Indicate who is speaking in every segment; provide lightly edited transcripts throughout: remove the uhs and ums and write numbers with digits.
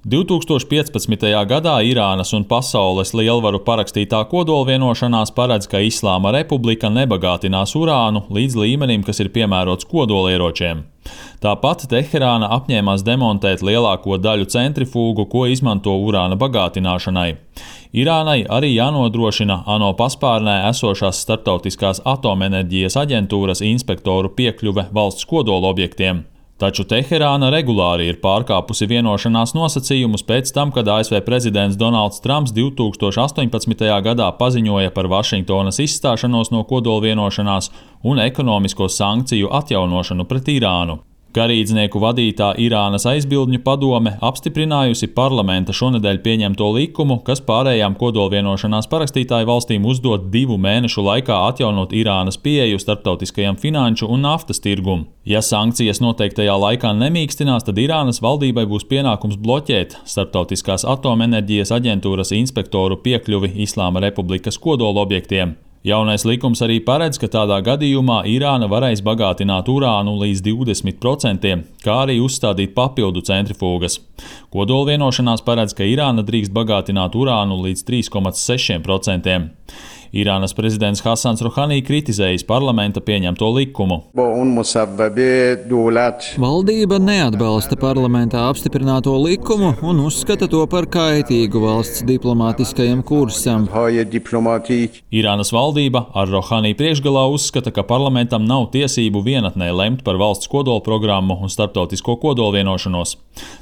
Speaker 1: 2015. gadā Irānas un pasaules lielvaru parakstītā kodolvienošanās paredz, ka Islāma Republika nebagātinās urānu līdz līmenim, kas ir piemērots kodolieročiem. Tāpat Teherāna apņēmās demontēt lielāko daļu centrifūgu, ko izmanto urāna bagātināšanai. Irānai arī jānodrošina ANO paspārnē esošās Starptautiskās atomenerģijas aģentūras inspektoru piekļuve valsts kodolobjektiem. Taču Teherāna regulāri ir pārkāpusi vienošanās nosacījumus pēc tam, kad ASV prezidents Donalds Trumps 2018. gadā paziņoja par Vašingtonas izstāšanos no kodolvienošanās un ekonomisko sankciju atjaunošanu pret Irānu. Garīdznieku vadītā Irānas aizbildņu padome apstiprinājusi parlamenta šonedēļ pieņemto likumu, kas pārējām kodolvienošanās parakstītāju valstīm uzdot 2 mēnešu laikā atjaunot Irānas pieeju starptautiskajam finanšu un naftas tirgum. Ja sankcijas noteiktajā laikā nemīkstinās, tad Irānas valdībai būs pienākums bloķēt Starptautiskās atomenerģijas aģentūras inspektoru piekļuvi Islāma Republikas kodolobjektiem. Jaunais likums arī paredz, ka tādā gadījumā Irāna varēs bagātināt urānu līdz 20%, kā arī uzstādīt papildu centrifūgas. Kodolvienošanās paredz, ka Irāna drīkst bagātināt urānu līdz 3,6%. Irānas prezidents Hasans Rohani kritizējis parlamenta pieņemto likumu.
Speaker 2: Valdība neatbalsta parlamentā apstiprināto likumu un uzskata to par kaitīgu valsts diplomātiskajam kursam.
Speaker 1: Irānas valdība ar Rohani priekšgalā uzskata, ka parlamentam nav tiesību vienatnē lemt par valsts kodolprogrammu un starptautisko kodolvienošanos.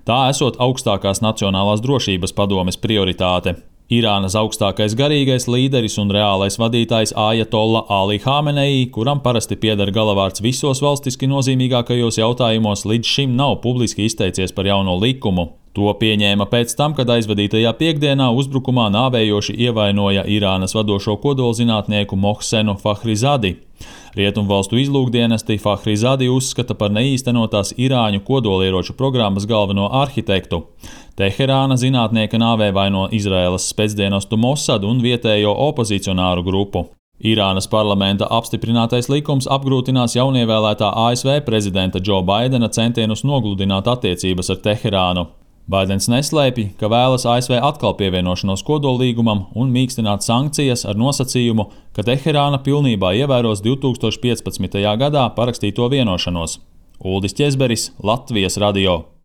Speaker 1: Tā esot augstākās nacionālās drošības padomes prioritāte. Irānas augstākais garīgais līderis un reālais vadītājs Ajatolla Ali Hamenei, kuram parasti pieder galavārds visos valstiski nozīmīgākajos jautājumos, līdz šim nav publiski izteicies par jauno likumu. To pieņēma pēc tam, kad aizvadītajā piekdienā uzbrukumā nāvējoši ievainoja Irānas vadošo kodolzinātnieku Mohsenu Fahrizadi. Rietumvalstu izlūkdienesti Fahrizadi uzskata par neīstenotās irāņu kodolieroču programmas galveno arhitektu. Teherāna zinātnieka nāvē vaino Izraēlas spēcdienestu Mossad un vietējo opozicionāru grupu. Irānas parlamenta apstiprinātais likums apgrūtinās jaunievēlētā ASV prezidenta Džo Baidena centienus nogludināt attiecības ar Teherānu. Baidens neslēpj, ka vēlas ASV atkal pievienošanos kodollīgumam un mīkstināt sankcijas ar nosacījumu, ka Teherāna pilnībā ievēros 2015. gadā parakstīto vienošanos. Uldis Ķezberis, Latvijas radio.